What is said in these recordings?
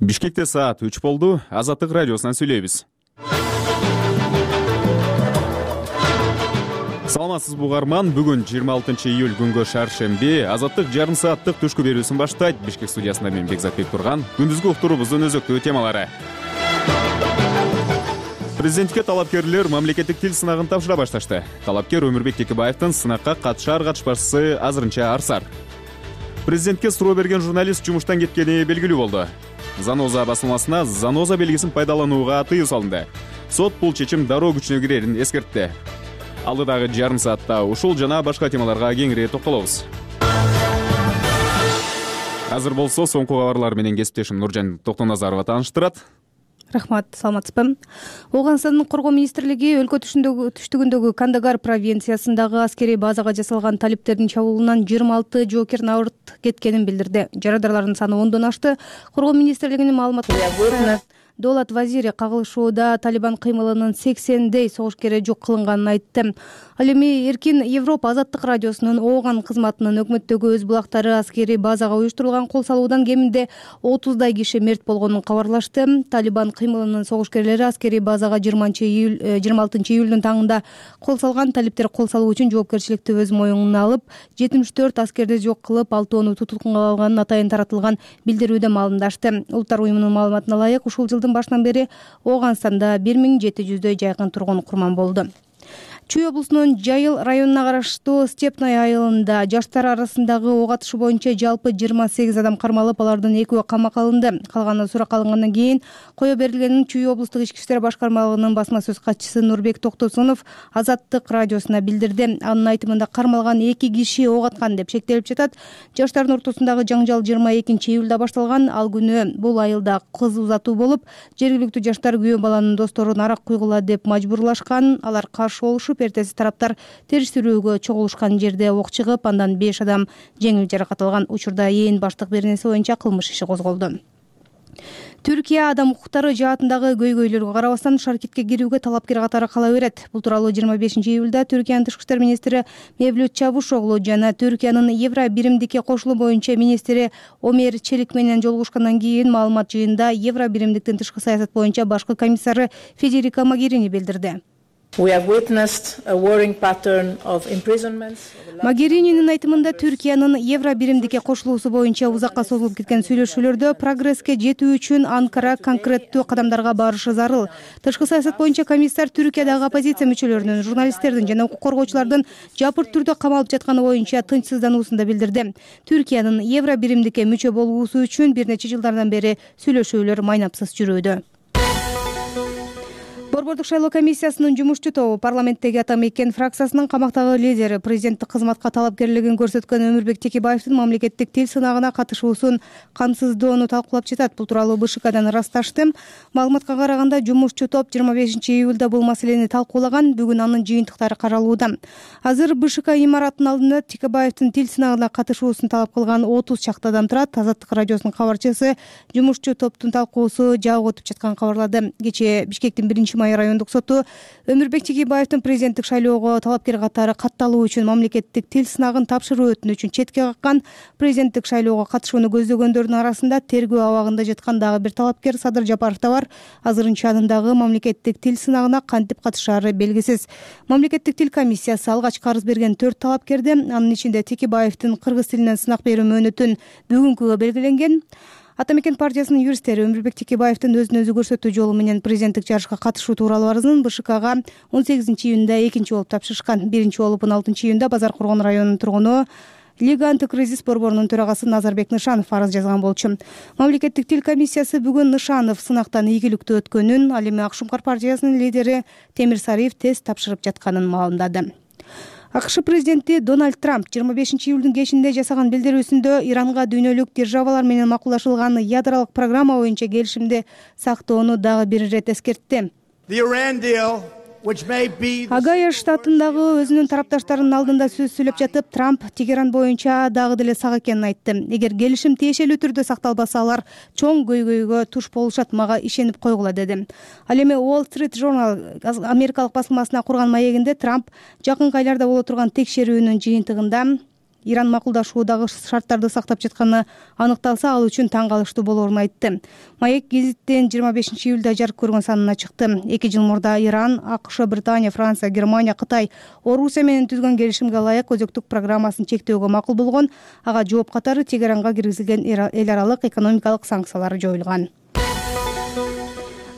Бишкекте саат 3 болду. Азаттык радиосунан сүйлөйбүз. Саламатсызбы угарман? Бүгүн 26 июль күнгө шаршемби. Азаттык жарым сааттык түшкү берүүсүн баштайт. Бишкек студиясында мен Бекзат Бектурган. Күндүзгү уктуруубуздун өзөктүү темалары. Президентке талапкерлер мамлекеттик тил сынагын тапшыра башташты. Талапкер Өмүрбек Текебаевдин сынакка катышар-катышпашысы азырынча арсар. Президентке суроо берген журналист жумуштан кеткени белгилүү болду. Заноза басылмасына заноза белгисин пайдаланууга тыюу салынды. Сот бул чечим дароо күчүнө кирерин эскертти. Алдыдагы жарым саатта ушул жана башка темаларга кеңири токтолобуз. Азыр болсо соңку кабарлар менен кесиптешим Нуржан Токтоназарова тааныштырат. Рахмат, саламатсызбы. Ооганстандын коргоо министрлиги өлкө түштүгүндөгү Кандагар провинциясындагы аскерий базага жасалган талиптердин чабуулунан 26 жоокер абырт кеткенин билдирди. Жарадарлардын саны 10дон ашты. Коргоо министрлигинин маалыматында Доолат Вазири кагылышууда Талибан кыймылынын 80дей согушкери жок кылынганын айтты. Ал эми Эркин Европа азаттык радиосунун Ооган кызматынын өкмөттөгү өз булактары аскерий базага уюштурулган кол салуудан кеминде 30дай киши мерт болгонун кабарлашты. Талибан кыймылынын согушкерлери аскерий базага 26 июлдун таңында кол салган. Талиптер кол салуу үчүн жоопкерчиликти өз моюнуна алып, 74 аскерди жок кылып, 6 туткунга алганын атайын таратылган билдирүүдө маалымдашты. Улуттар уюмунун маалыматына ылайык, ушул жылдын башынан бери Ооганстанда 1700дөй жайкын тургун курман болду. Чүй облусунун Жайыл районуна караштуу Степной айылында жаштар арасындагы ок атышы боюнча жалпы 28 адам кармалып, алардын 2 камакка алынды. Калганы суракка алынгандан кийин кое берилгенин Чүй облустук ички иштер башкармалыгынын басма сөз катчысы Нурбек Токтосунов азаттык радиосуна билдирди. Анын айтымында кармалган 2 киши ок аткан деп шектелип жатат. Жаштардын ортосундагы жаңжал 22 июлда башталган. Ал күнү бул айылда кыз узатуу болуп, жергиликтүү жаштар күйөө баланын досторун арак куйгула деп мажбурлашкан. Алар каршы болушуп, эртеси тараптар териштирүүгө чогулушкан жерде ок чыгып, андан 5 адам жеңил жаракат алган. Учурда ээн баштык беренеси боюнча кылмыш иши козголду. Түркия адам укуктары жаатындагы көйгөйлөргө карабастан Шаркитке кирүүгө талапкер катары кала берет. Бул тууралуу 25 июлда Түркиянын тышкы иштер министри Мевлют Чавушоглу жана Түркиянын Евро биримдикке кошулуу боюнча министри Омер Челик менен жолугушкандан кийин маалымат жыйында Евро биримдиктин тышкы саясат боюнча башкы комиссары Федерика Могерини билдирди. Могерининин айтымында Түркиянын Евро биримдикке кошулуусу боюнча узакка созулуп кеткен сүйлөшүүлөрдө прогресске жетүү үчүн Анкара конкреттүү кадамдарга барышы зарыл. Тышкы саясат боюнча комиссар Түркиядагы оппозиция мүчөлөрүнүн, журналисттердин жана укук коргоочулардын жапырт түрдө камалып жатканы боюнча тынчсыздануусун да билдирди. Түркиянын Евро биримдикке мүчө болуусу үчүн бир нече жылдардан бери сүйлөшүүлөр майнапсыз жүрүүдө. Борбордук шайлоо комиссиясынын жумушчу тобу парламенттеги ата мекен фракциясынын камактагы лидери, президенттик кызматка талапкерлигин көрсөткөн Өмүрбек Текебаевдин мамлекеттик тил сынагына катышуусун камсыздоону талкуулап жатат. Бул тууралуу БШКдан ырасташты. Маалыматка караганда, жумушчу топ 25 июлда бул маселени талкуулаган. Бүгүн анын жыйынтыктары каралууда. Азыр БШК имаратынын алдында Текебаевдин тил сынагына катышуусун талап кылган 30 чакты адам турат. Азаттык радиосунун кабарчысы жумушчу топтун талкуусу жабык өтүп жатканын кабарлады. Кечээ Бишкектин 1-май райондук соту Өмүрбек Текебаевдин президенттик шайлоого талапкер катары катталуу үчүн мамлекеттик тил сынагын тапшыруу өтүнүчүн четке каккан. Президенттик шайлоого катышууну көздөгөндөрдүн арасында тергөө абагында жаткан дагы бир талапкер Садыр Жапаров да бар. Азырынча анын дагы мамлекеттик тил сынагына кантип катышаары белгисиз. Мамлекеттик тил комиссиясы алгачкы арыз берген 4 талапкерди, анын ичинде Текебаевдин кыргыз тилинен сынак берүү мөөнөтүн бүгүнкүгө белгиленген. Ата мекен партиясынын юристтери Өмүрбек Текебаевдин өзүн өзү көрсөтүү жолу менен президенттик жарышка катышуу тууралуу арызын БШКга 18 июнда экинчи болуп тапшырышкан. Биринчи болуп 16 июнда Базар Коргон районунун тургуну Лига антикризис борборунун төрагасы Назарбек Нышанов арыз жазган болчу. Мамлекеттик тил комиссиясы бүгүн Нышанов сынактан ийгиликтүү өткөнүн, ал эми Ак Шумкар партиясынын лидери Темир Сариев тест тапшырып жатканын маалымдады. АКШ президенти Дональд Трамп 25 июлдун кечинде жасаган билдирүүсүндө Иранга дүйнөлүк державалар менен макулдашылган ядролук программа боюнча келишимди сактоону дагы бир ирет эскертти. Агая штатындагы өзүнүн тарапташтарынын алдында сөз сүйлөп жатып, Трамп Тегеран боюнча дагы деле сак экенин айтты. Эгер келишим тиешелүү түрдө сакталбаса, алар чоң көйгөйгө туш болушат, мага ишенип койгула деди. Ал эми Wall Street Journal америкалык басылмасына курган маегинде Трамп жакынкы айларда боло турган текшерүүнүн жыйынтыгында Иран макулдашуудагы шарттарды сактап жатканы аныкталса, ал үчүн таң калыштуу болоорун айтты. Маек гезиттен 25 июлда жарык көргөн санына чыкты. 2 жыл мурда Иран, АКШ, Британия, Франция, Германия, Кытай, Орусия менен түзгөн келишимге ылайык өзөктүк программасын чектөөгө макул болгон. Ага жооп катары Тегеранга киргизилген эл аралык экономикалык санкциялар жоюлган.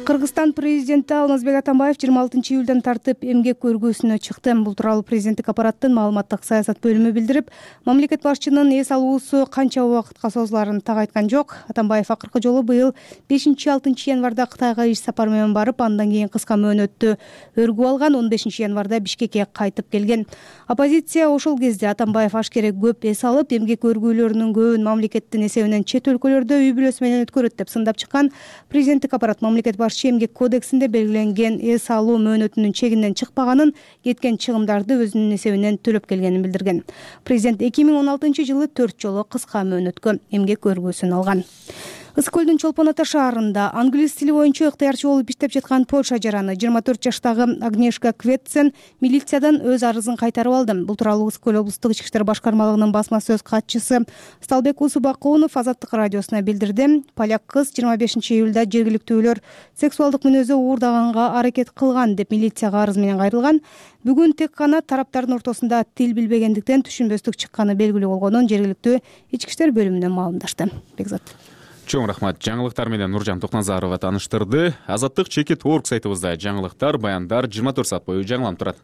Кыргызстан президенти Алмазбек Атамбаев 26 июлдан тартып эмгек көргөсүнө чыкты. Бул тууралуу президенттик аппараттын маалыматтык саясат бөлүмү билдирип, мамлекет башчынын эс алуусу канча убакытка созуларын так айткан жок. Атамбаев акыркы жолу быйыл 5-6 январда Кытайга иш сапар менен барып, андан кийин кыска мөөнөттү өргүп алган. 15 январда Бишкекке кайтып келген. Оппозиция ошол кезде Атамбаев ашкере көп эс алып, эмгек өргүүлөрүнүн көбүн мамлекеттин эсебинен чет өлкөлөрдө үй бүлөсү менен өткөрөт деп сындап чыккан. Президенттик аппарат мамлекет эмгек кодексинде белгиленген эс алуу мөөнөтүнүн чегинен чыкпаганын, кеткен чыгымдарды өзүнүн эсебинен төлөп келгенин билдирген. Президент 2016-жылы 4 жолу кыска мөөнөткө эмгек өргүүсүн алган. Ысык көлдүн Чолпон Ата шаарында англис тили боюнча ыктыярчы болуп иштеп жаткан Польша жараны 24 жаштагы Агнешка Кветсен милициядан өз арызын кайтарып алды. Бул тууралуу Ысык көл облустук ички иштер башкармалыгынын басма сөз катчысы Сталбек Усубакунов Азаттык радиосуна билдирди. Поляк кыз 25 июлда жергиликтүүлөр сексуалдык мүнөзү уурдаганга аракет кылган деп милицияга арыз менен кайрылган. Бүгүн тек гана тараптардын ортосунда тил билбегендиктен түшүнбөстүк чыкканы белгилүү болгонун жергиликтүү ички иштер бөлүмүнөн маалымдашты. Бекзат. Чоң рахмат. Жаңылыктар менен Нуржан Токназарова таныштырды. Азаттык Чекит.org сайтыбызда жаңылыктар, баяндар 24 саат бою жаңыланып турат.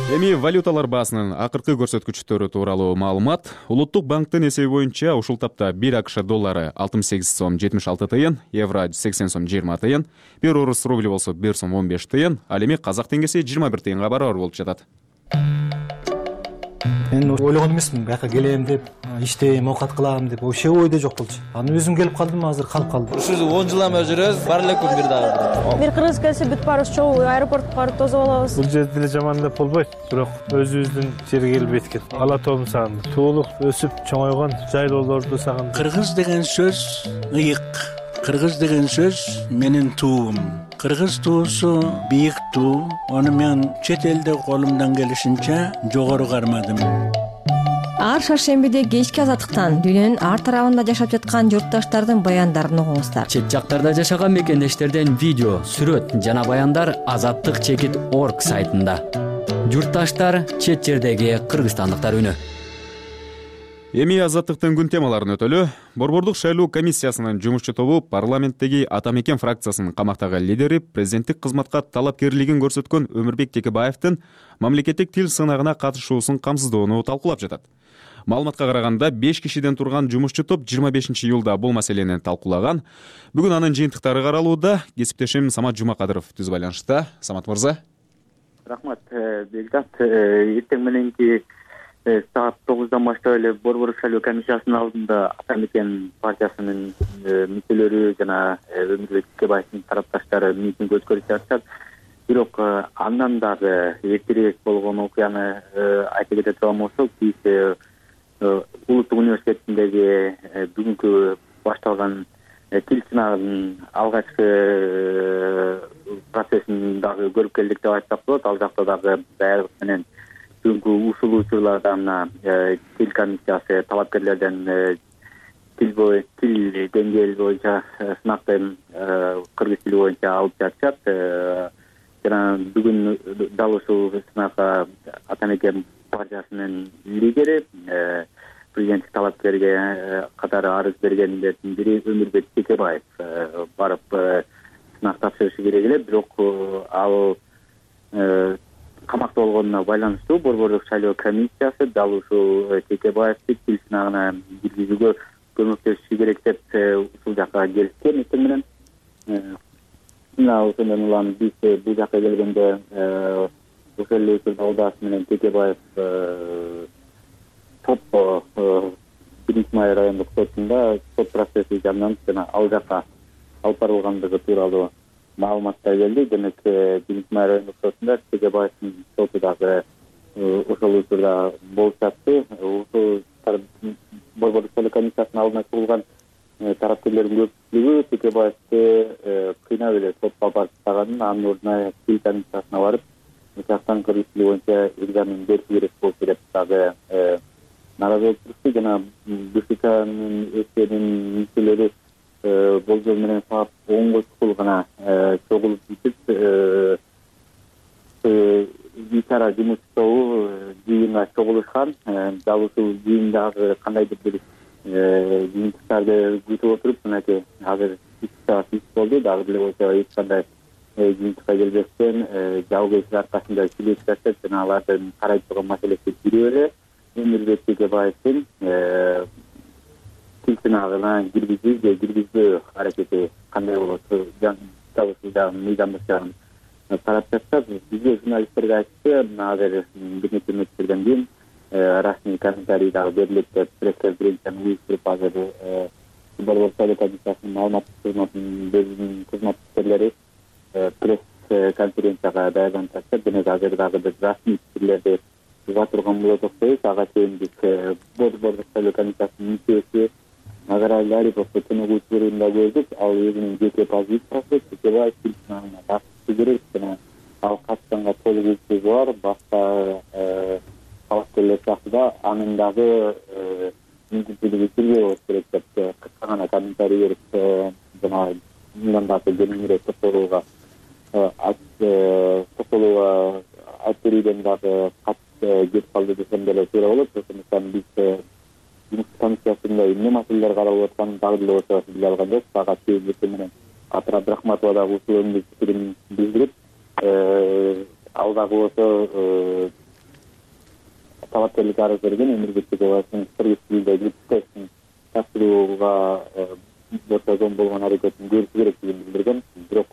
Эми валюталар баасынын акыркы көрсөткүчтөрү тууралуу маалымат. Улуттук банктын эсеби боюнча ушул тапта 1 АКШ доллары 68 сом 76 тыйын, евро 80 сом 20 тыйын, 1 орус рубли болсо 1 сом 15 тыйын, ал эми казак теңгеси 21 тыйынга барабар болуп жатат. Мен ойлогон эмесмин, бияка келем деп, иштейм, оокат кылам деп, вообще ойдо жок болчу. Аны өзүм келип калдым, азыр калып калдым. Ушу 10 жыл эме жүрөбүз, бар эле күн бир дагы. Бир кыргыз келсе бүт баарыбыз чогуу аэропортко барып тосуп алабыз. Бул жерде деле жаман деп болбойт, бирок өзүбүздүн жерге келип эткен. Ала тоом сагындым. Туулук өсүп чоңойгон жайлоолорду сагындым. Кыргыз деген сөз ыйык. Кыргыз деген сөз менин туум. Кыргыз туусу бийик туу. Аны мен чет элде колумдан келишинче жогору кармадым. Ар шаршембиде кечки азаттыктан дүйнөнүн ар тарабында жашап жаткан журтташтардын баяндарын угуңуздар. Чет жактарда жашаган мекендештерден видео, сүрөт жана баяндар Азаттык Чекит.org сайтында. Журтташтар, чет жердеги кыргызстандыктар үнү. Эми азаттыктын күн темаларын өтөлү. Борбордук шайлоо комиссиясынын жумушчу тобу парламенттеги Ата Мекен фракциясынын камактагы лидери, президенттик кызматка талапкерлигин көрсөткөн Өмүрбек Текебаевдин мамлекеттик тил сынагына катышуусун камсыздоону талкуулап жатат. Маалыматка караганда 5 кишиден турган жумушчу топ 25 июлда бул маселени талкуулаган. Бүгүн анын жыйынтыктары каралууда. Кесиптешим Самат Жумакадыров түз байланышта. Самат мырза. Рахмат, Бекзат. Эртең мененки саат 9-дан баштап эле Борбордук шайлоо комиссиясынын алдында Ата Мекен партиясынын мүчөлөрү жана Өмүрбек Текебаевдин тарапташтары митинг өткөрүп жатышат. Бирок андан дагы эртерээк болгон окуяны айта кете турган болсок, биз Улуттук университетиндеги бүгүнкү башталган тил сынагынын алгачкы процессин дагы көрүп келдик деп айтсак болот. Ал жакта дагы даярдык менен бүгүнкү ушул учурларда тил комиссиясы талапкерлерден тил деңгээли боюнча сынакты кыргыз тили боюнча алып жатышат. Жана бүгүн дал ушул сынакка Ата Мекен партиясынын лидери, президенттик талапкерге катары арыз бергендердин бири Өмүрбек Текебаев барып сынак тапшырышы керек эле, бирок ал камакта болгонуна байланыштуу Борбордук шайлоо комиссиясы дал ушул Текебаевди тил сынагына киргизүүгө көмөктөшүшү керек деп ушул жакка келишкен эртең менен. Ошондон улам биз бул жакка келгенде ошол эле учурда Алдаас менен Текебаев сот 1-Май райондук сотунда сот процесси жанданып жана ал жакка алып барылгандыгы тууралуу маалыматтар келди. Демек 1-Май райондук сотунда Текебаевдин соту дагы ошол учурда болуп жатты. Ошол Борбордук шайлоо комиссиясынын алдына чыгылган тараптарлардын көпчүлүгү Текебаевди кыйнап эле сотко барып тастаганын, анын ордуна тил комиссиясына барып жактан кыргыз тили боюнча экзамен бериши керек болчу деп дагы наразы болуп турушты. Жана БШКнын өкмөтүнүн мүчөлөрү болжол менен саат 10го чукул гана чогулуп бүтүп ичара жумуш тобу жыйынга чогулушкан. Дал ушул жыйындагы кандайдыр бир жыйынтыктарды күтүп отуруп, мынакей азыр 2 саат болду, дагы деле болсо эч кандай жыйынтыкка келбестен жабык эшик аркасында сүйлөшүп жатышат жана алардын карай турган маселеси бирөө эле Өмүрбек Текебаевдин тил сынагына киргизүү же киргизбөө аракети кандай болот, дал ушул мыйзамдык жагын карап жатышат. Бизге журналисттерге айтты, азыр бир нече мүнөттөрдөн кийин расмий комментарий дагы берилет деп пресс-конференцияны уюштуруп азыр Борбор Совет Комиссиясынын маалыматтык кызматынын кызматкерлери пресс-конференцияга даярданып жатышат. Демек азыр дагы бир расмий пикирлерди уга турган болот окшойбуз. Ага чейин биз Борбор Совет Комиссиясынын мүчөсү Назарбай Ариповду төнөгүүчүлөрүн да көрдүк. Ал өзүнүн жеке позициясы Текебаев тил сынагына катышы керек жана ал катышканга толук укугу бар. Башка талапкерлер сыяктуу да анын дагы мүмкүнчүлүгү бирдей болуш керек деп кыска гана комментарий берип жана мындан дагы кеңирээк токтолууга айтып берүүдөн дагы кетип калды десем деле туура болот. Ошондуктан биз жумуш комиссиясында эмне маселелер каралып атканын дагы деле болсо биле алган жок. Сага чейин менен Атыр Абдрахматова дагы ушул өңдүк пикирин билдирип, ал дагы болсо талапкерлик арыз берген Өмүрбек Текебаевдин кыргыз тилиндеги тестин тапшырууга ортодон болгон аракетин көрүшү керектигин билдирген. Бирок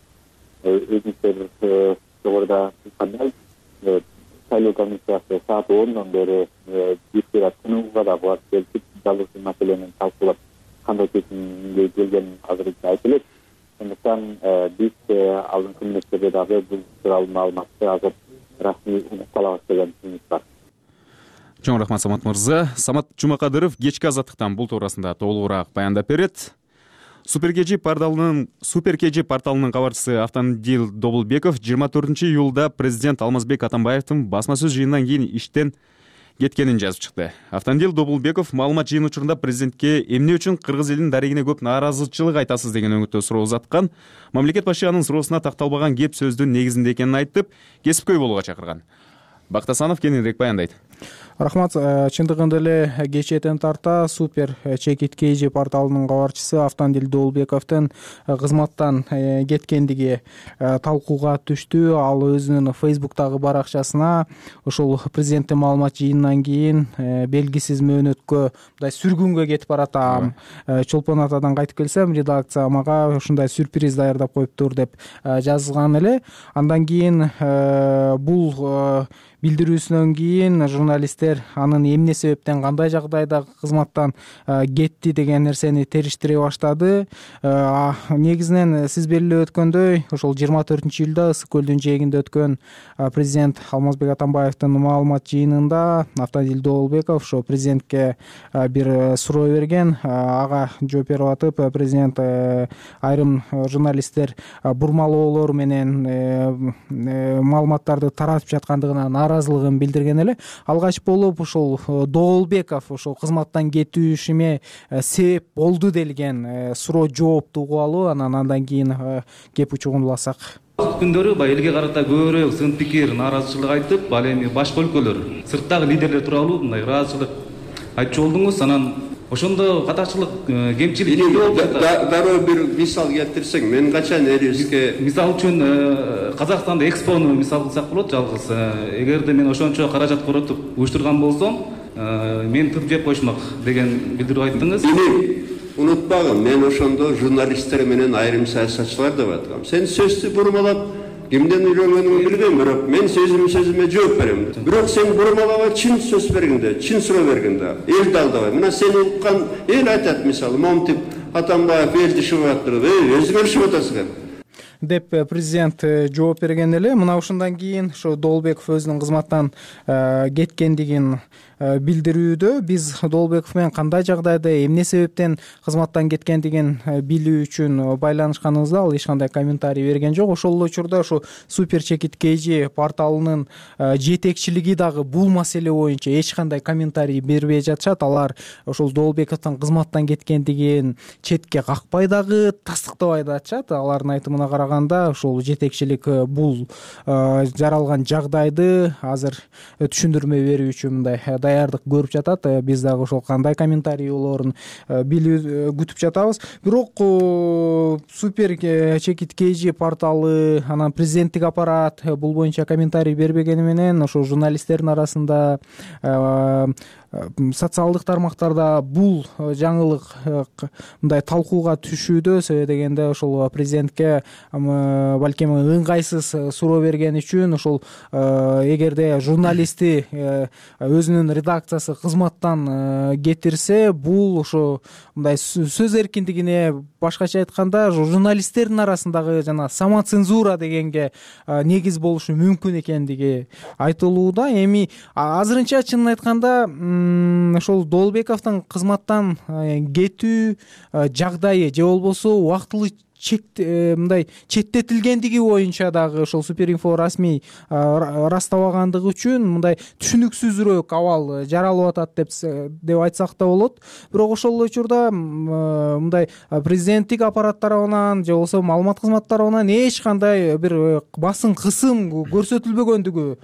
өзүңүздөр жогоруда айткандай шайлоо комиссиясы саат 10дон бери бир саат тынууга да барып келип, дал ушул маселени талкуулап кандай чечимге келгенин азырынча айтып элек. Ошондуктан биз алдыңкы мүнөттөрдө дагы бул тууралуу маалыматты азыр расмий угуп калабыз деген үмүт бар. Чоң рахмат Самат мырза. Самат Жумакадыров кечки азаттыктан бул туурасында толугураак баяндап берет. Супер КЖ порталынын кабарчысы Автандил Добулбеков 24-июлда президент Алмазбек Атамбаевдин басма сөз жыйынынан кийин иштен кеткенин жазып чыкты. Автандил Добулбеков маалымат жыйын учурунда президентке эмне үчүн кыргыз элинин дарегине көп нааразычылык айтасыз деген өңүттө суроо узаткан. Мамлекет башы анын суроосуна такталбаган кеп сөздүн негизинде экенин айтып, кесипкөй болууга чакырган. Бактасанов кененирээк баяндайт. Рахмат. Чындыгында эле кечээден тарта Супер Чекит КЖ порталынын кабарчысы Автандил Добулбековдун кызматтан кеткендиги талкууга түштү. Ал өзүнүн Facebook'тагы баракчасына ошол президенттин маалымат жыйынынан кийин белгисиз мөөнөткө мындай сүргүнгө кетип баратам. Чолпон Атадан кайтып келсем, редакция мага ушундай сюрприз даярдап коюптур деп жазган эле. Андан кийин бул билдирүүсүнөн кийин журналисттер анын эмне себептен, кандай жагдайда кызматтан кетти деген нерсени териштире баштады. Негизинен сиз белгилеп өткөндөй, ошол 24-июлда Ысык көлдүн жээгинде өткөн президент Алмазбек Атамбаевдин маалымат жыйынында Автандил Добулбеков ошо президентке бир суроо берген. Ага жооп берип атып, президент айрым журналисттер бурмалоолор менен маалыматтарды таратып жаткандыгына нааразылыгын билдирген эле. Алгач болуп ушул Добулбеков ошол кызматтан кетүүшүмө себеп болду делген суроо жоопту угуп алуу. Андан кийин кеп учугун уласак. Күндөрү элге карата көбүрөөк сын пикир, нааразычылык айтып, ал эми башка өлкөлөр, сырттагы лидерлер тууралуу мындай ыраазычылык айтчу болдуңуз. Анан ошондо катачылык, кемчилик дароо бир мисал келтирсең, мен качан элибизге мисал үчүн Казакстанда экспону мисал кылсак болот. Жалгыз эгерде мен ошончо каражат коротуп уюштурган болсом, мени тып жеп коюшмак деген билдирүү айттыңыз. Унутпагын, мен ошондо журналисттер менен айрым саясатчылар деп аткам. Сен сөздү бурмалап, кимден үйрөнгөнүңдү билбейм, бирок мен сөзүмө жооп берем. Бирок сен бурмалаба чын сөз бергенде, чын суроо бергенде элди алдабай. Мына сени уккан эл айтат, мисалы, момтип Атамбаев элди шыбып атыр, өзгөрүшүп атасыңар деп президент жооп берген эле. Мына ушундан кийин ошо Добулбеков өзүнүн кызматтан кеткендигин билдирүүдө. Биз Доолбеков менен кандай жагдайда эмне себептен кызматтан кеткендигин билүү үчүн байланышканыбызда ал эч кандай комментарий берген жок. Ошол эле учурда ушу Супер Чекит KG порталынын жетекчилиги дагы бул маселе боюнча эч кандай комментарий бербей жатышат. Алар ошол Доолбековдун кызматтан кеткендигин четке какпай дагы тастыктабай да атышат. Алардын айтымына караганда ошол жетекчилик бул жаралган жагдайды азыр түшүндүрмө берүү үчүн мындай даярдык көрүп жатат. Биз дагы ошол кандай комментарий болоорун билүү күтүп жатабыз. Бирок Супер Чекит KG порталы анан президенттик аппарат бул боюнча комментарий бербегени менен ошо журналисттердин арасында социалдык тармактарда бул жаңылык мындай талкууга түшүүдө. Себеби дегенде ошол президентке балким ыңгайсыз суроо берген үчүн ошол эгерде журналистти өзүнүн редакциясы кызматтан кетирсе, бул ошо мындай сөз эркиндигине, башкача айтканда журналисттердин арасындагы жана самоцензура дегенге негиз болушу мүмкүн экендиги айтылууда. Эми азырынча чынын айтканда ошол Доолбековдун кызматтан кетүү жагдайы же болбосо убактылуу мындай четтетилгендиги боюнча дагы ошол Суперинфо расмий ырастабагандыгы үчүн мындай түшүнүксүзүрөөк абал жаралып атат деп айтсак да болот. Бирок ошол эле учурда мындай президенттик аппарат тарабынан же болбосо маалымат кызматы тарабынан эч кандай бир басым кысым көрсөтүлбөгөндүгү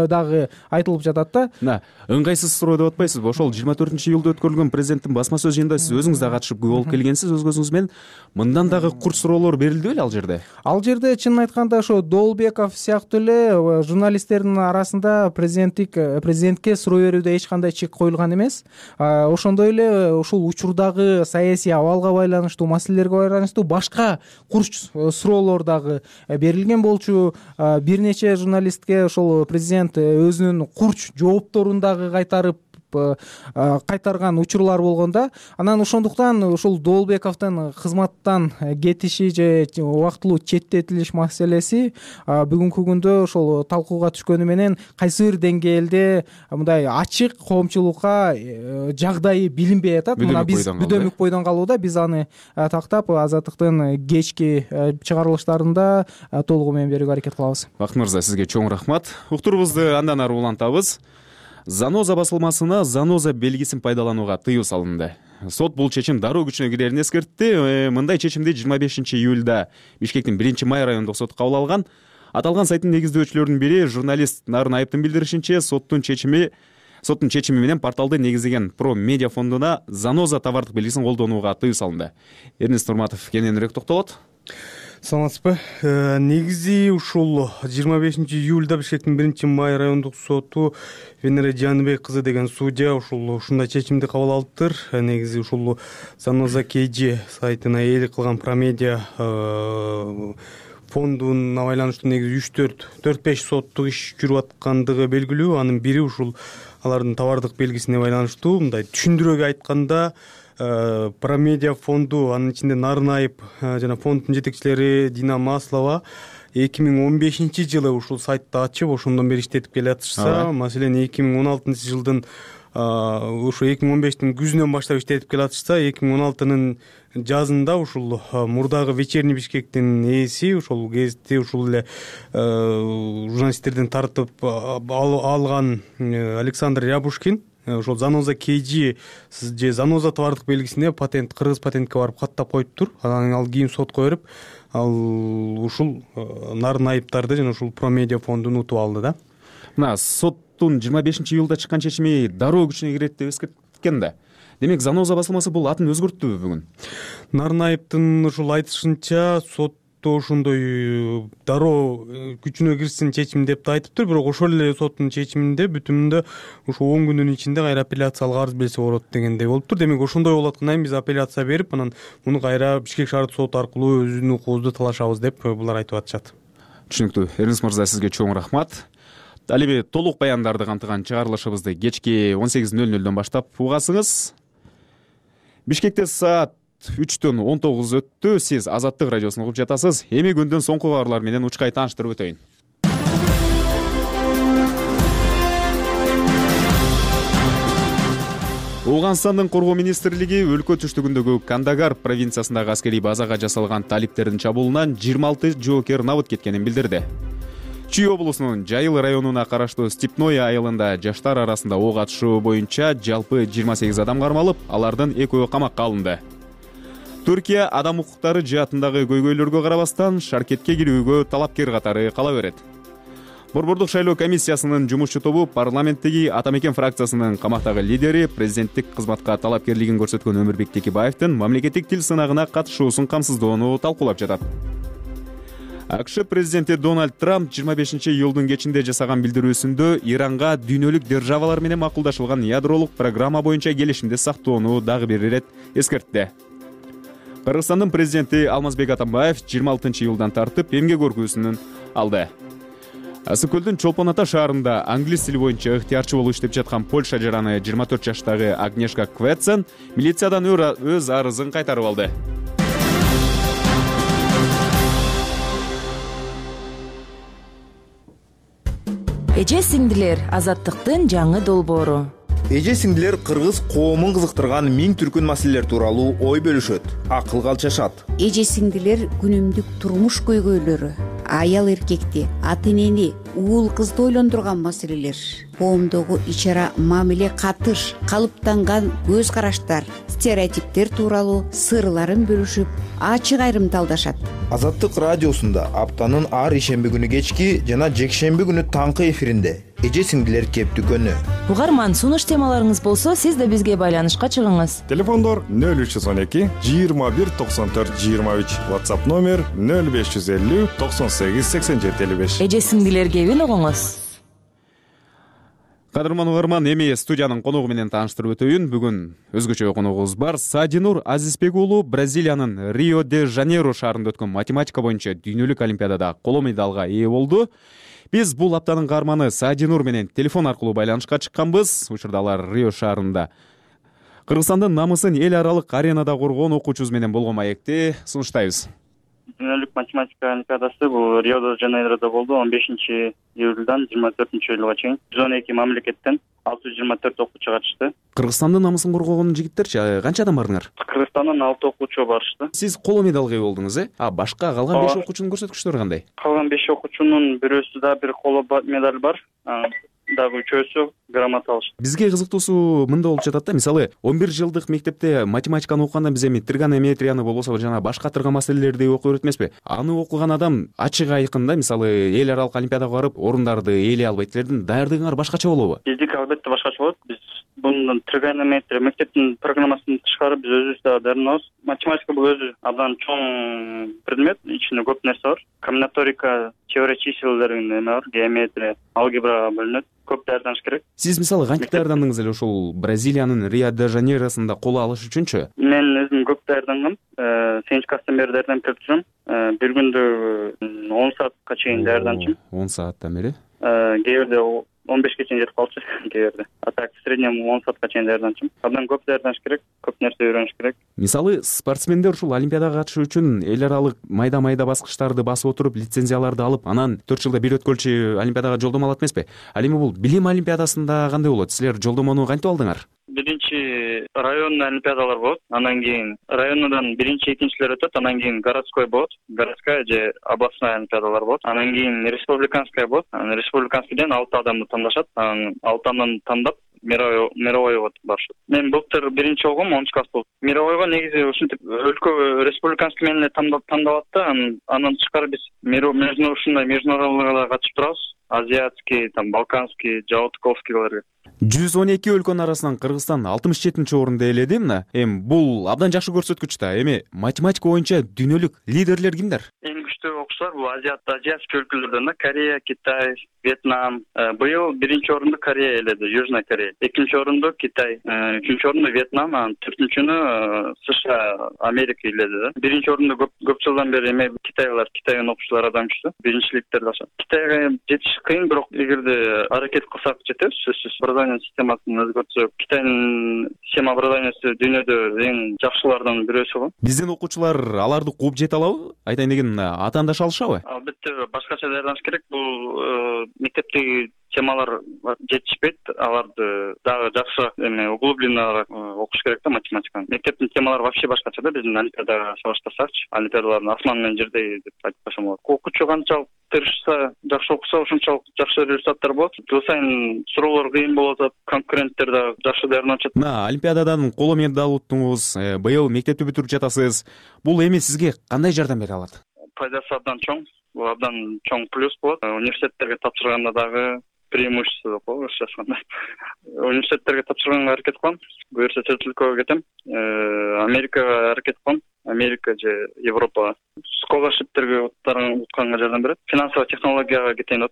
дагы айтылып жатат да. Ыңгайсыз суроо деп атпайсызбы? Ошол 24-июлда өткөрүлгөн президенттин басма сөз жыйынында сиз өзүңүз да катышып күбө болуп келгенсиз өз көзүңүз менен. Мындан дагы курч суроолор берилди беле ал жерде? Ал жерде чынын айтканда ошо Доолбеков сыяктуу эле журналисттердин арасында президентке суроо берүүдө эч кандай чек коюлган эмес. Ошондой эле ушул учурдагы саясий абалга байланыштуу, маселелерге байланыштуу башка курч суроолор дагы берилген болчу. Бир нече журналистке ошол президент өзүнүн курч жоопторун дагы кайтарган учурлар болгон да. Анан ошондуктан ушул Доолбековдун кызматтан кетиши же убактылуу четтетилиш маселеси бүгүнкү күндө ошол талкууга түшкөнү менен кайсы бир деңгээлде мындай ачык коомчулукка жагдайы билинбей атат. Мына биз бүдөмүк бойдон калууда. Биз аны тактап Азаттыктын кечки чыгарылыштарында толугу менен берүүгө аракет кылабыз. Бакыт мырза, сизге чоң рахмат. Уктуруубузду андан ары улантабыз. Заноза басылмасына заноза белгисин пайдаланууга тыюу салынды. Сот бул чечим дароо күчүнө кирерин эскертти. Мындай чечимди 25-июлда Бишкектин 1-Май райондук соту кабыл алган. Аталган сайттын негиздөөчүлөрүнүн бири журналист Нарын Айыптын билдиришинче, соттун чечими менен порталды негизделген Про Медиа фондуна заноза товардык белгисин колдонууга тыюу салынды. Эрнест Нурматов кененирээк токтолот. Саламатсызбы. Негизи ушул 25-июлда Бишкектин 1-Май райондук соту Венера Жаныбек кызы деген судья ушундай чечимди кабыл алыптыр. Негизи ушул Заноза KG сайтына ээлик кылган Про Медиа фондуна байланыштуу негизи 4-5 соттук иш жүрүп аткандыгы белгилүү. Анын бири ушул алардын товардык белгисине байланыштуу. Мындай түшүндүрөк айтканда, Про Медиа фонду, анын ичинде Нарын Айып жана фонддун жетекчилери Дина Маслова 2015-жылы ушул сайтты ачып, ошондон бери иштетип келатышса, маселен 2016-жылдын ушу 2015-тин күзүнөн баштап иштетип келатышса, 2016-нын жазында ушул мурдагы Вечерний Бишкектин ээси, ушул гезитти ушул эле журналисттерден тартып алган Александр Рябушкин ошол Заноза KG же заноза товардык белгисине кыргыз патентке барып каттап коюптур. Анан ал кийин сотко берип, ал ушул Нарын Айыптарды жана ушул Про Медиа фондун утуп алды да. Мына соттун 25-июлда чыккан чечими дароо күчүнө кирет деп эскерткен да. Демек заноза басылмасы бул атын өзгөрттүбү бүгүн? Нарын Айыптын ушул айтышынча сот ошондой дароо күчүнө кирсин чечим деп да айтыптыр. Бирок ошол эле соттун чечиминде бүтүнүндө ушу 10 күндүн ичинде кайра апелляциялык арыз берсе болот дегендей болуптур. Демек ошондой болот анан биз апелляция берип, анан муну кайра Бишкек шаардык соту аркылуу өзүнүн укугубузду талашабыз деп булар айтып атышат. Түшүнүктүү. Эрнест мырза, сизге чоң рахмат. Ал эми толук баяндарды камтыган чыгарылышыбызды кечки 18:00 баштап угасыңыз. Бишкекте саат 3-төн 19 өттү. Сиз Азаттык радиосун угуп жатасыз. Эми күндүн соңку кабарлары менен учкай тааныштырып өтөйүн. Ооганстандын коргоо министрлиги өлкө түштүгүндөгү Кандагар провинциясындагы аскерий базага жасалган талиптердин чабуулунан 26 жоокер набыт кеткенин билдирди. Чүй облусунун Жайыл районуна караштуу Степной айылында жаштар арасында ок атышуу боюнча жалпы 28 адам кармалып, алардын экөө камакка алынды. Түркия адам укуктары жаатындагы көйгөйлөргө карабастан шаркетке кирүүгө талапкер катары кала берет. Борбордук шайлоо комиссиясынын жумушчу тобу парламенттеги Ата Мекен фракциясынын камактагы лидери, президенттик кызматка талапкерлигин көрсөткөн Өмүрбек Текебаевдин мамлекеттик тил сынагына катышуусун камсыздоону талкуулап жатат. АКШ президенти Дональд Трамп 25-июлдун кечинде жасаган билдирүүсүндө Иранга дүйнөлүк державалар менен макулдашылган ядролук программа боюнча келишимди сактоону дагы бир ирет эскертти. Кыргызстандын президенти Алмазбек Атамбаев 26-июлдан тартып эмгек өргүүсүн алды. Ысык көлдүн Чолпон Ата шаарында англис тили боюнча ыктыярчы болуп иштеп жаткан Польша жараны 24 жаштагы Агнешка Квецен милициядан өз арызын кайтарып алды. Эже сиңдилер, азаттыктын жаңы долбоору. Эже сиңдилер кыргыз коомун кызыктырган миң түркүн маселелер тууралуу ой бөлүшөт, акылга алчашат. Эже сиңдилер күнүмдүк турмуш көйгөйлөрү, аял эркекти, ата энени, уул кызды ойлондурган маселелер, коомдогу ичара мамиле катыш, калыптанган көз караштар, стереотиптер тууралуу сырларын бөлүшүп, ачык айрымталдашат. Азаттык радиосунда аптанын ар ишемби күнү кечки жана жекшемби күнү таңкы эфиринде эже сиңдилер кептүкөнү. Угарман, сунуш темаларыңыз болсо, сиз да бизге байланышка чыгыңыз. Телефондор 0312 21 94 23, WhatsApp номер 0550 98 87 55. Эже сиңдилер кебин угуңуз. Кадырман угарман, эми студиянын коногу менен тааныштырып өтөйүн. Бүгүн өзгөчө коногубуз бар. Садинур Азизбек уулу Бразилиянын Рио-де-Жанейро шаарында өткөн математика боюнча дүйнөлүк олимпиадада коло медалга ээ болду. Биз бул аптанын каарманы Садинур менен телефон аркылуу байланышка чыкканбыз. Учурда алар Рио шаарында Кыргызстандын намысын эл аралык аренада коргоон окуучубуз менен болгон маекти сунуштайбыз. Дүйнөлүк математика олимпиадасы бул Рио-де-Жанейрода болду. 15-июлдан 24-июлга чейин 112 мамлекеттен 624 окуучу катышты. Кыргызстандын намысын коргогон жигиттерчи канча адам бардыңар? Кыргызстандан 6 окуучу барышты. Сиз коло медалга ээ болдуңуз, башка калган 5 окуучунун көрсөткүчтөрү кандай? Калган 5 окуучунун бирөөсү да бир коло медаль бар. Дагы үчөөсү грамота алышты. Бизге кызыктуусу мында болуп жатат да. Мисалы, 11 жылдык мектепте математиканы окуганда биз эми тригонометрияны болбосо жана башка тырга маселелерди окуп өтөт эмеспи? Аны окуган адам ачык айкын да, мисалы, эл аралык олимпиадага барып, орундарды ээлей албайт. Силердин даярдыгыңар башкача болобу? Биздики албетте башкача болот. Биз бунун тригонометрия мектептин программасын тышкары биз өзүбүз да даярданабыз. Математика бул өзү абдан чоң предмет, ичинде көп нерсе бар. Комбинаторика, теория чиселдердин эме бар, геометрия, алгебрага бөлүнөт. Көп даярданыш керек. Сиз мисалы кантип даярдандыңыз эле ушул Бразилиянын Рио-де-Жанейросунда коло алыш үчүнчү? Мен өзүм көп даярдангам. Сегизинчи класстан бери даярданып келип турам. Бир күндө 10 саатка чейин даярданчым. 10 сааттан бери? Кээ бирде 15ке чейин жетип калчу, кээ бирде. А так в среднем 10 саатка чейин даярданчым. Абдан көп даярданыш керек, көп нерсе үйрөнүш керек. Мисалы, спортсмендер ушул олимпиадага катышуу үчүн эл аралык майда баскычтарды басып отуруп, лицензияларды алып, анан 4 жылда бир өткөлчү олимпиадага жолдомо алат эмеспи? Ал эми бул билим олимпиадасында кандай болот? Силер жолдомону кантип алдыңар? Биринчи районный олимпиадалар болот, анан кийин районудан биринчи, экинчилер өтөт, анан кийин городской болот, городская же областная олимпиадалар болот, анан кийин республиканская болот, анан республиканскийден 6 адамды тандашат, анан 6 тандап мировойго барышат. Мен былтыр биринчи болгом, 10 класс болуп. Мировойго негизи ушинтип өлкө республиканский менен тандалат да, анан тышкары биз международныйга катышып турабыз. Азиатский, балканский, жаутковскийлерге. 112 өлкөнүн арасынан Кыргызстан 67-орунду ээледи мына. Эми бул абдан жакшы көрсөткүч да. Эми математика боюнча дүйнөлүк лидерлер кимдер? Эң күчтүү окуучулар бул азиатский өлкөлөрдөн да, Корея, Китай, Вьетнам. Быйыл биринчи орунду Корея ээледи, Южная Корея. Экинчи орунду Китай, үчүнчү орунду Вьетнам, анан төртүнчүнү США, Америка ээледи да. Биринчи орунду көп жылдан бери эме Китайдын окуучулары абдан күчтүү. Биринчиликтерди алышат. Китайга жетиш кыйын, бирок эгерде аракет кылсак жетебиз, сөзсүз. Образование системасын өзгөртсөк, Китайдын система образованиясы дүйнөдө эң жакшылардан бирөөсү го. Биздин окуучулар аларды кууп жете алабы? Айтайын деген ата андаш алышабы? Албетте башкача даярданыш керек. Бул мектептеги темалар жетишпейт, аларды дагы жакшы углубленно окуш керек да математиканы. Мектептин темалары вообще башкача да, биздин олимпиадага салыштырсакчы. Олимпиадалардын асман менен жердей деп айтып койсом болот. Окуучу канчалык тырышса, жакшы окуса, ошончолук жакшы результаттар болот. Жыл сайын суроолор кыйын болуп атат, конкуренттер да жакшы даярданышат. Мына олимпиададан коло медаль уттуңуз, быйыл мектепти бүтүрүп жатасыз. Бул эми сизге кандай жардам бере алат? Пайдасы абдан чоң. Бул абдан чоң плюс болот. Университеттерге тапшырганда дагы преимущество деп коебуз жазганда. Университеттерге тапшырганга аракет кылам. Буюрса чет өлкөгө кетем. Америкага аракет кылам. Америка же Европа сколаршиптерге утканга жардам берет. Финансовый технологияга кетейин деп.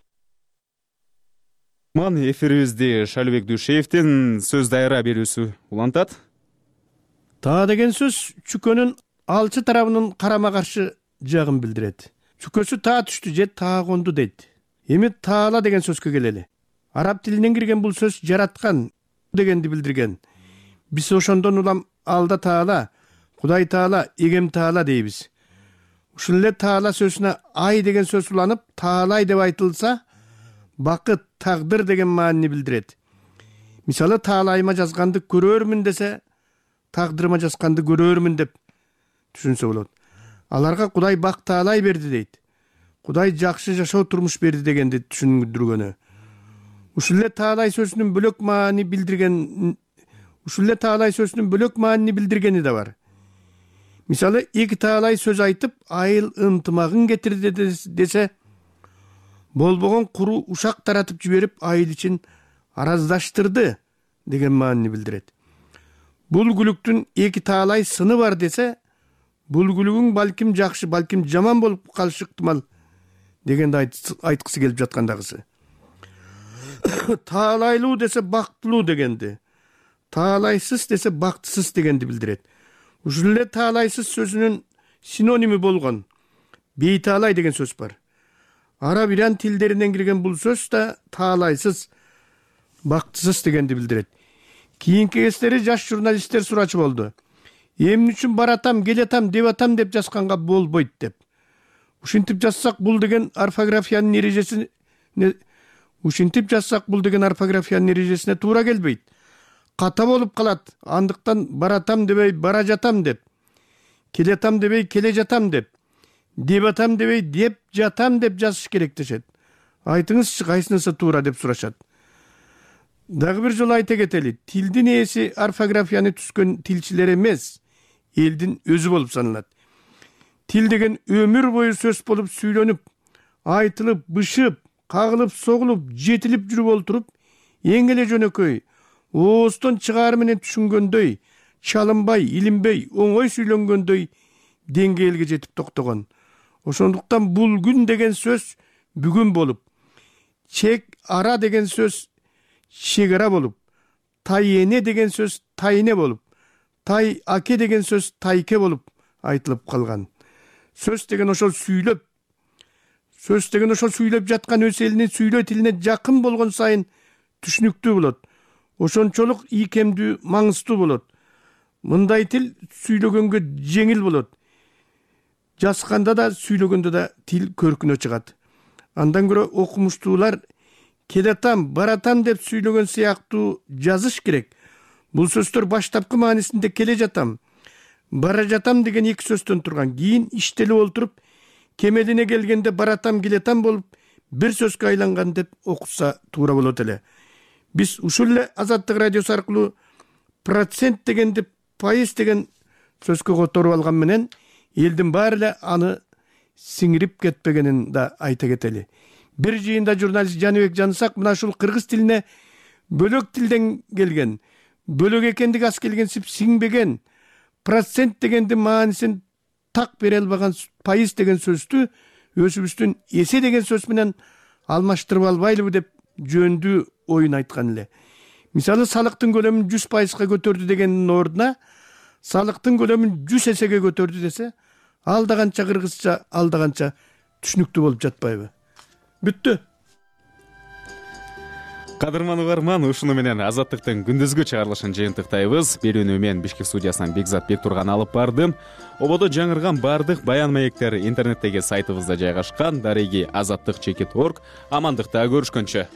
Ман эфирибизди Шалыбек Дүйшеевдин сөз дайыра берүүсү улантат. Таа деген сөз чүкөнүн алчы тарабынын карама каршы жагын билдирет. Чүкөсү таа түштү же таа конду дейт. Эми таала деген сөзгө келели. Араб тилинен кирген бул сөз жараткан дегенди билдирген. Биз ошондон улам алда таала, Кудай таала, эгем таала дейбиз. Ушул эле таала сөзүнө ай деген сөз уланып, таалай деп айтылса, бакыт, тагдыр деген маанини билдирет. Мисалы, таалайыма жазганды көрөрмүн десе, тагдырыма жазганды көрөрмүн деп түшүнсө болот. Аларга Кудай бак таалай берди дейт. Кудай жакшы жашоо турмуш берди дегенди түшүндүргөнү. Ушул эле таалай сөзүнүн бөлөк маани билдиргени да бар. Мисалы, эки таалай сөз айтып, айыл ынтымагын кетирди десе, болбогон куру ушак таратып жиберип, айыл ичин араздаштырды деген маанини билдирет. Бул күлүктүн эки таалай сыны бар десе, бул күлүгүң балким жакшы, балким жаман болуп калышы ыктымал дегенди айткысы келип жаткандагысы. Таалайлуу десе бактылуу дегенди, таалайсыз десе бактысыз дегенди билдирет. Ушул эле таалайсыз сөзүнүн синоними болгон бейтаалай деген сөз бар. Араб иран тилдеринен кирген бул сөз да таалайсыз, бактысыз дегенди билдирет. Кийинки кездери жаш журналисттер сурачу болду. Эмне үчүн баратам, келатам, деп атам деп жазганга болбойт деп. Ушинтип жазсак бул деген орфографиянын эрежесине туура келбейт. Ката болуп калат. Андыктан баратам дебей бара жатам деп, келатам дебей келе жатам деп атам дебей деп жатам деп жазыш керек дешет. Айтыңызчы, кайсынысы туура деп сурашат. Дагы бир жолу айта кетели, тилдин ээси орфографияны түзгөн тилчилер эмес, элдин өзү болуп саналат. Тил деген өмүр бою сөз болуп сүйлөнүп, айтылып, бышып, кагылып, согулуп, жетилип жүрүп олтуруп, эң эле жөнөкөй, ооздон чыгаар менен түшүнгөндөй, чалынбай, илинбей, оңой сүйлөнгөндөй деңгээлге жетип токтогон. Ошондуктан бул күн деген сөз бүгүн болуп, чек ара деген сөз чек ара болуп, тай эне деген сөз тайне болуп, тай аке деген сөз тайке болуп айтылып калган. Сөз деген ошол сүйлөп жаткан өз элинин сүйлөө тилине жакын болгон сайын түшүнүктүү болот. Ошончолук ийкемдүү, маңыздуу болот. Мындай тил сүйлөгөнгө жеңил болот. Жазганда да, сүйлөгөндө да тил көркүнө чыгат. Андан көрө окумуштуулар келатам, баратам деп сүйлөгөн сыяктуу жазыш керек. Бул сөздөр баштапкы маанисинде келе жатам, бара жатам деген эки сөздөн турган. Кийин иштелип олтуруп, кемелине келгенде баратам, келетам болуп, бир сөзгө айланган деп окутса туура болот эле. Биз ушул эле Азаттык радиосу аркылуу процент дегенди пайыз деген сөзгө которуп алган менен элдин баары эле аны сиңирип кетпегенин да айта кетели. Бир жыйында журналист Жаныбек Жанысак мына ушул кыргыз тилине бөлөк тилден келген, бөлөк экендиги аз келгенсип сиңбеген, процент дегенди маанисин так бере албаган пайыз деген сөздү өзүбүздүн эсе деген сөз менен алмаштырып албайлыбы деп жөндүү оюн айткан эле. Мисалы, салыктын көлөмүн 100%га көтөрдү дегендин ордуна салыктын көлөмүн 100 эсеге көтөрдү десе, алда канча кыргызча, алда канча түшүнүктүү болуп жатпайбы? Бүттү. Кадырман угарман, ушуну менен Азаттыктын күндүзгү чыгарылышын жыйынтыктайбыз. Берүүнү мен Бишкек студиясынан Бекзат Бектурган алып бардым. Ободо жаңырган бардык баян маектер интернеттеги сайтыбызда жайгашкан. Дареги azattik.org. Амандыкта көрүшкөнчө.